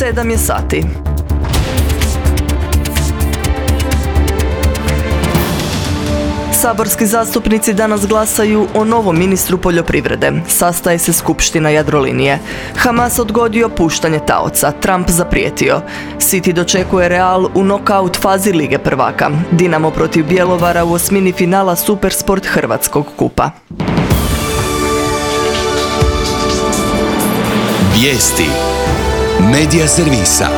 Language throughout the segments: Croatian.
7 je sati. Saborski zastupnici danas glasaju o novom ministru poljoprivrede. Sastaje se skupština Jadrolinije. Hamas odgodio puštanje taoca. Trump zaprijetio. City dočekuje Real u nokaut fazi Lige prvaka. Dinamo protiv Bjelovara u osmini finala Supersport Hrvatskog kupa. Vijesti Medija servisa.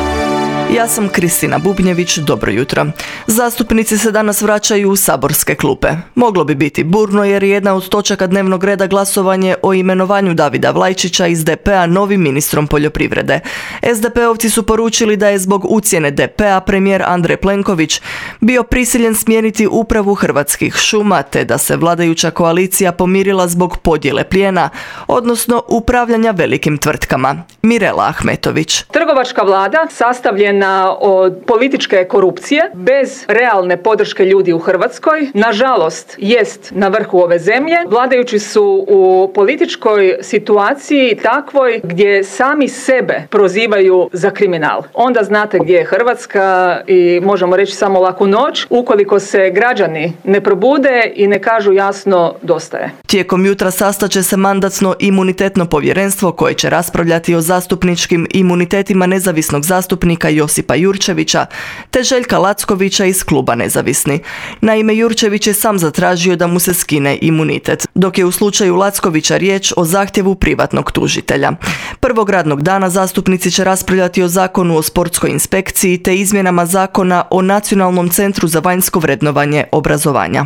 Ja sam Kristina Bubnjević, dobro jutro. Zastupnici se danas vraćaju u saborske klupe. Moglo bi biti burno jer je jedna od točaka dnevnog reda glasovanje o imenovanju Davida Vlajčića iz DP-a novim ministrom poljoprivrede. SDP-ovci su poručili da je zbog ucjene DP-a premijer Andrej Plenković bio prisiljen smijeniti upravu Hrvatskih šuma te da se vladajuća koalicija pomirila zbog podjele plijena, odnosno upravljanja velikim tvrtkama. Mirela Ahmetović. Trgovačka vlada sastavljena od političke korupcije bez realne podrške ljudi u Hrvatskoj, nažalost, jest na vrhu ove zemlje. Vladajući su u političkoj situaciji takvoj gdje sami sebe prozivaju za kriminal. Onda znate gdje je Hrvatska i možemo reći samo laku noć ukoliko se građani ne probude i ne kažu jasno dosta je. Tijekom jutra sastaće se Mandatno-imunitetno povjerenstvo koje će raspravljati o zastupničkim imunitetima nezavisnog zastupnika Josipa Jurčevića te Željka Lackovića iz kluba Nezavisni. Naime, Jurčević je sam zatražio da mu se skine imunitet, dok je u slučaju Lackovića riječ o zahtjevu privatnog tužitelja. Prvog radnog dana zastupnici će raspravljati o Zakonu o sportskoj inspekciji te izmjenama Zakona o Nacionalnom centru za vanjsko vrednovanje obrazovanja.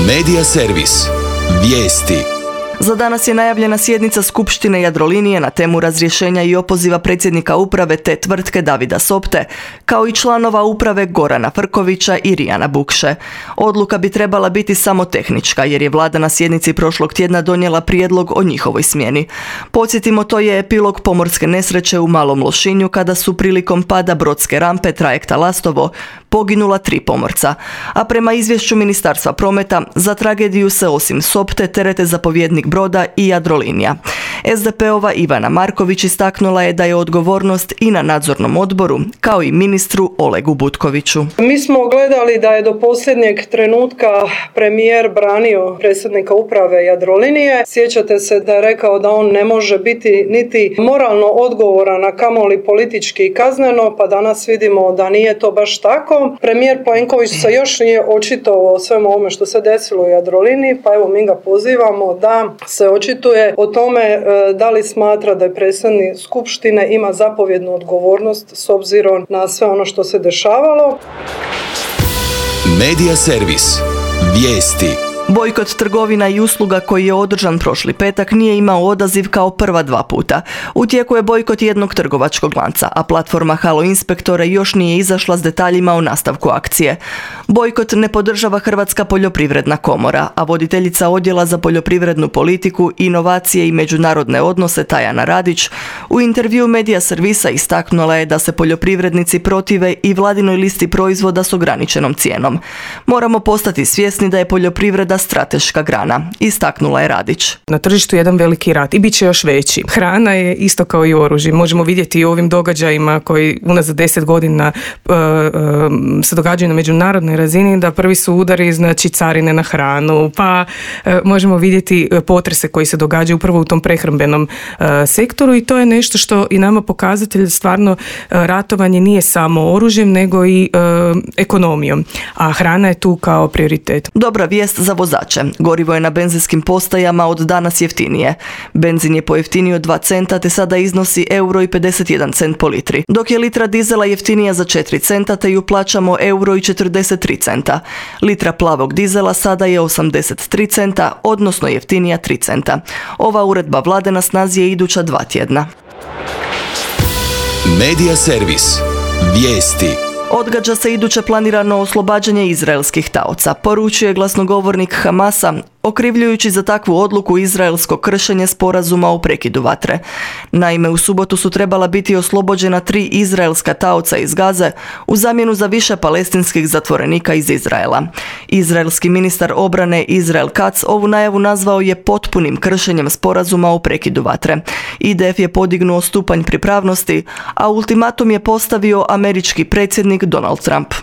Medija servis. Vijesti. Za danas je najavljena sjednica Skupštine Jadrolinije na temu razrješenja i opoziva predsjednika uprave te tvrtke Davida Sopte, kao i članova uprave Gorana Frkovića i Rijana Bukše. Odluka bi trebala biti samo tehnička, jer je vlada na sjednici prošlog tjedna donijela prijedlog o njihovoj smjeni. Podsjetimo, to je epilog pomorske nesreće u Malom Lošinju kada su prilikom pada brodske rampe trajekta Lastovo poginula 3 pomorca. A prema izvješću Ministarstva prometa, za tragediju se osim Sopte terete zapovjednik broda i Jadrolinija. SDP-ova Ivana Marković istaknula je da je odgovornost i na nadzornom odboru, kao i ministru Olegu Butkoviću. Mi smo gledali da je do posljednjeg trenutka premijer branio predsjednika uprave Jadrolinije. Sjećate se da je rekao da on ne može biti niti moralno odgovoran, a kamoli politički i kazneno, pa danas vidimo da nije to baš tako. Premijer Plenković se još nije očitovao o svemu ovome što se desilo u Jadroliniji, pa evo mi ga pozivamo da se očituje o tome da li smatra da je predsjednik skupštine ima zapovjednu odgovornost s obzirom na sve ono što se dešavalo. Medija servis. Vijesti. Bojkot trgovina i usluga koji je održan prošli petak nije imao odaziv kao prva 2 puta. U tijeku je bojkot jednog trgovačkog lanca, a platforma Halo Inspektore još nije izašla s detaljima o nastavku akcije. Bojkot ne podržava Hrvatska poljoprivredna komora, a voditeljica odjela za poljoprivrednu politiku, inovacije i međunarodne odnose Tajana Radić u intervju Medija servisa istaknula je da se poljoprivrednici protive i vladinoj listi proizvoda s ograničenom cijenom. Moramo postati svjesni da je poljoprivreda strateška grana, istaknula je Radić. Na tržištu je jedan veliki rat i bit će još veći. Hrana je isto kao i oružje. Možemo vidjeti i u ovim događajima koji unazad 10 godina se događaju na međunarodnoj razini, da prvi su udari, znači carine na hranu, pa možemo vidjeti potrese koji se događaju upravo u tom prehrambenom sektoru i to je nešto što i nama pokazatelj stvarno ratovanje nije samo oružjem nego i ekonomijom, a hrana je tu kao prioritet. Dobra vijest za vozače. Gorivo je na benzinskim postajama od danas jeftinije. Benzin je pojeftinio 2 centa te sada iznosi €1,51 po litri, dok je litra dizela jeftinija za 4 centa te ju plaćamo €1,43 centa. Litra plavog dizela sada je 83 centa, odnosno jeftinija 3 centa. Ova uredba vlade na snazi je iduća 2 tjedna. Medija servis. Vijesti. Odgađa se iduće planirano oslobađanje izraelskih taoca, poručuje glasnogovornik Hamasa okrivljujući za takvu odluku izraelsko kršenje sporazuma o prekidu vatre. Naime, u subotu su trebala biti oslobođena 3 izraelska taoca iz Gaze u zamjenu za više palestinskih zatvorenika iz Izraela. Izraelski ministar obrane Israel Katz ovu najavu nazvao je potpunim kršenjem sporazuma o prekidu vatre. IDF je podignuo stupanj pripravnosti, a ultimatum je postavio američki predsjednik Donald Trump.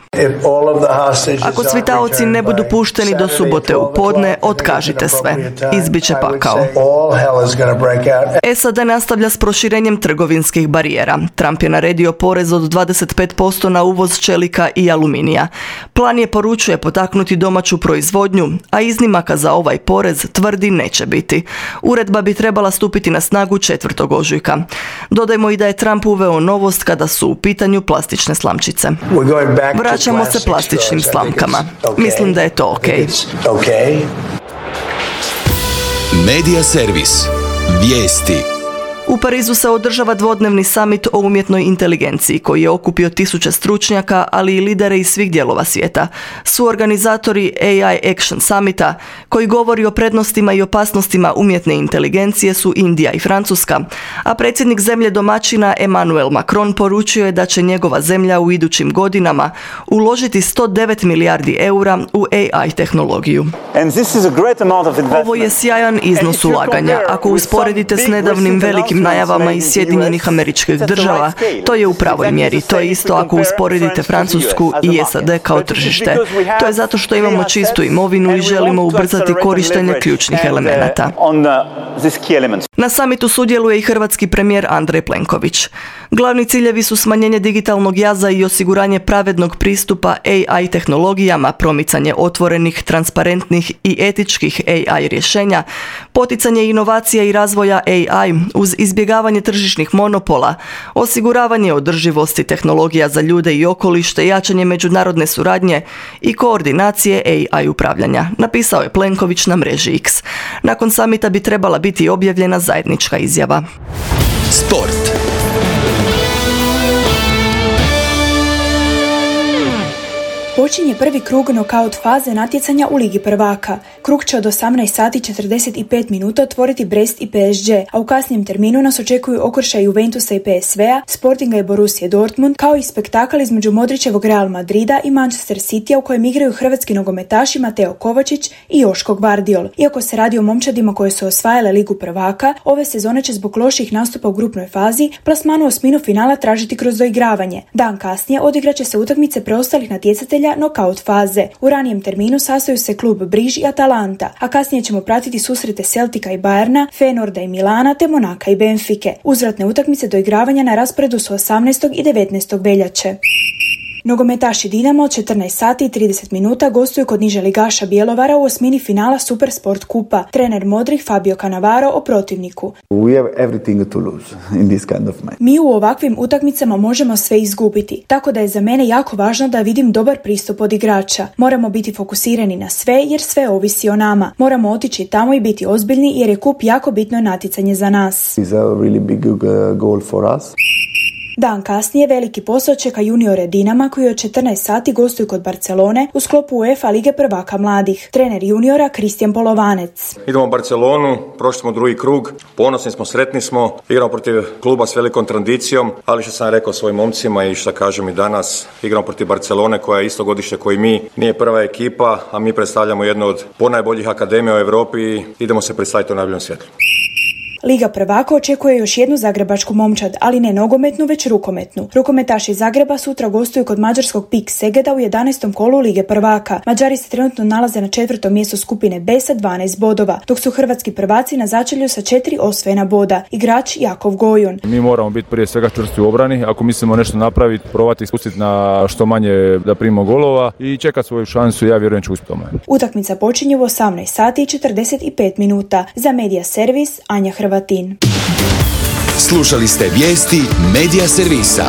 Ako svi taoci ne budu pušteni do subote u podne, otkažite sve. Izbiće pakao. SAD nastavlja s proširenjem trgovinskih barijera. Trump je naredio porez od 25% na uvoz čelika i aluminija. Plan je, poručuje, potaknuti domaću proizvodnju, a iznimaka za ovaj porez, tvrdi, neće biti. Uredba bi trebala stupiti na snagu 4. ožujka. Dodajmo i da je Trump uveo novost kada su u pitanju plastične slamčice. Vraćamo se plastičnim slamkama. Mislim da je to okej. Medija servis. Vijesti. U Parizu se održava dvodnevni summit o umjetnoj inteligenciji koji je okupio tisuće stručnjaka, ali i lidere iz svih dijelova svijeta. Suorganizatori AI Action Summita, koji govori o prednostima i opasnostima umjetne inteligencije, su Indija i Francuska, a predsjednik zemlje domaćina Emmanuel Macron poručio je da će njegova zemlja u idućim godinama uložiti 109 milijardi eura u AI tehnologiju. Ovo je sjajan iznos ulaganja. Ako usporedite s nedavnim velikim najavama iz Sjedinjenih Američkih Država, to je u pravoj mjeri. To je isto ako usporedite Francusku i SAD kao tržište. To je zato što imamo čistu imovinu i želimo ubrzati korištenje ključnih elemenata. Na samitu sudjeluje i hrvatski premijer Andrej Plenković. Glavni ciljevi su smanjenje digitalnog jaza i osiguranje pravednog pristupa AI tehnologijama, promicanje otvorenih, transparentnih i etičkih AI rješenja, poticanje inovacija i razvoja AI uz izbjegavanje tržišnih monopola, osiguravanje održivosti tehnologija za ljude i okoliš te jačanje međunarodne suradnje i koordinacije AI upravljanja, napisao je Plenković na mreži X. Nakon samita bi trebala biti objavljena zajednička izjava. Sport. Počinje prvi krug nokaut faze natjecanja u Ligi prvaka. Krug će od 18 sati 45 minuta otvoriti Brest i PSG, a u kasnijem terminu nas očekuju okršaj Juventusa i PSV-a, Sportinga i Borussije Dortmund, kao i spektakl između Modrićevog Real Madrida i Manchester Citya u kojem igraju hrvatski nogometaši Mateo Kovačić i Joško Gvardiol. Iako se radi o momčadima koje su osvajale Ligu prvaka, ove sezone će zbog loših nastupa u grupnoj fazi plasmanu osminu finala tražiti kroz doigravanje. Dan kasnije odigraće se utakmice preostalih natjecatelja nokaut faze. U ranijem terminu sastaju se klub Briž i Atalanta, a kasnije ćemo pratiti susrete Celtica i Bayerna, Feynorda i Milana te Monaka i Benfike. Uzvratne utakmice doigravanja na rasporedu su 18. i 19. veljače. Nogometaši Dinamo od 14 sati i 30 minuta gostuju kod niže ligaša Bjelovara u osmini finala Supersport kupa. Trener modrih Fabio Cannavaro o protivniku. Mi u ovakvim utakmicama možemo sve izgubiti, tako da je za mene jako važno da vidim dobar pristup od igrača. Moramo biti fokusirani na sve jer sve ovisi o nama. Moramo otići tamo i biti ozbiljni jer je kup jako bitno natjecanje za nas. Dan kasnije veliki posao čeka juniore Dinama koji od 14 sati gostuju kod Barcelone u sklopu UEFA Lige prvaka mladih. Trener juniora Kristijan Polovanec. Idemo u Barcelonu, prošli smo drugi krug, ponosni smo, sretni smo, igramo protiv kluba s velikom tradicijom, ali što sam rekao svojim momcima i što kažem i danas, igramo protiv Barcelone koja je isto godište koji mi, nije prva ekipa, a mi predstavljamo jednu od ponajboljih akademija u Europi i idemo se predstaviti u najboljem svjetlu. Liga prvaka očekuje još jednu zagrebačku momčad, ali ne nogometnu, već rukometnu. Rukometaši Zagreba sutra gostuju kod mađarskog PIK Segeda u 11. kolu Lige prvaka. Mađari se trenutno nalaze na 4. mjestu skupine B sa 12 bodova, dok su hrvatski prvaci na začelju sa 4 osvojena boda. Igrač Jakov Gojun. Mi moramo biti prije svega čvrsti u obrani. Ako mislimo nešto napraviti, probati spustiti na što manje da primimo golova i čekati svoju šansu, ja vjerujem ću uspjeti tome. Utakmica počinje u 18 sati i 45 minuta. Za Medija servis Anja Hrvatin. Slušali ste vijesti Medija servisa.